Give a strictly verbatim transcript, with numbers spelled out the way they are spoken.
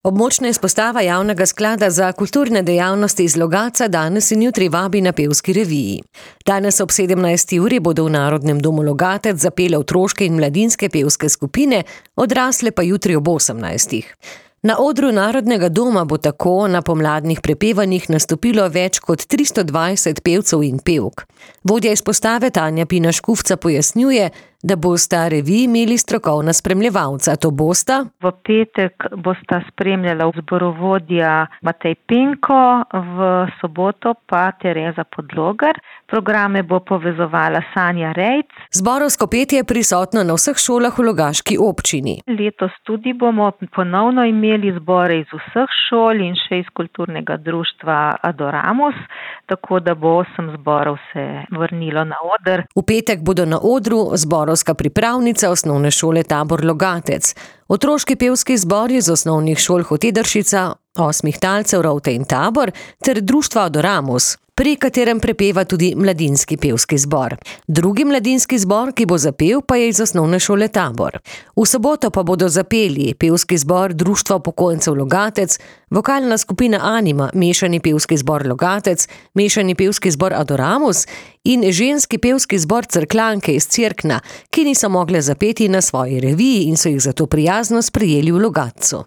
Območna izpostava Javnega sklada za kulturne dejavnosti iz Logatca danes in jutri vabi na pevski reviji. Danes ob sedemnajsti uri bodo v Narodnem domu Logatec zapele otroške in mladinske pevske skupine, odrasle pa jutri ob osemnajstih. Na odru Narodnega doma bo tako na pomladnih prepevanjih nastopilo več kot tristo dvajset pevcev in pevk. Vodja izpostave Tanja Pina Škufca pojasnjuje, da bosta reviji imeli strokovna spremljevalca. To bosta? V petek bosta spremljala zborovodja Matej Penko, v soboto pa Tereza Podlogar. Programe bo povezovala Sanja Rejc. Zborovsko petje je prisotno na vseh šolah v Logaški občini. Letos tudi bomo ponovno imeli zbore iz vseh šol in še iz kulturnega društva Adoramus, tako da bo osem zborov se vrnilo na oder. V petek bodo na odru zborovska pripravnica osnovne šole Tabor Logatec, otroški pevski zbor iz osnovnih šol Hotedršica, Osmih talcev Rovte in Tabor ter društva Adoramus, pri katerem prepeva tudi mladinski pevski zbor. Drugi mladinski zbor, ki bo zapel, pa je iz osnovne šole Tabor. V soboto pa bodo zapeli pevski zbor Društva upokojencev Logatec, vokalna skupina Anima, mešani pevski zbor Logatec, mešani pevski zbor Adoramus in ženski pevski zbor Cerkljanke iz Cerkna, ki niso mogle zapeti na svoji reviji in so jih zato prijazno sprejeli v Logatcu.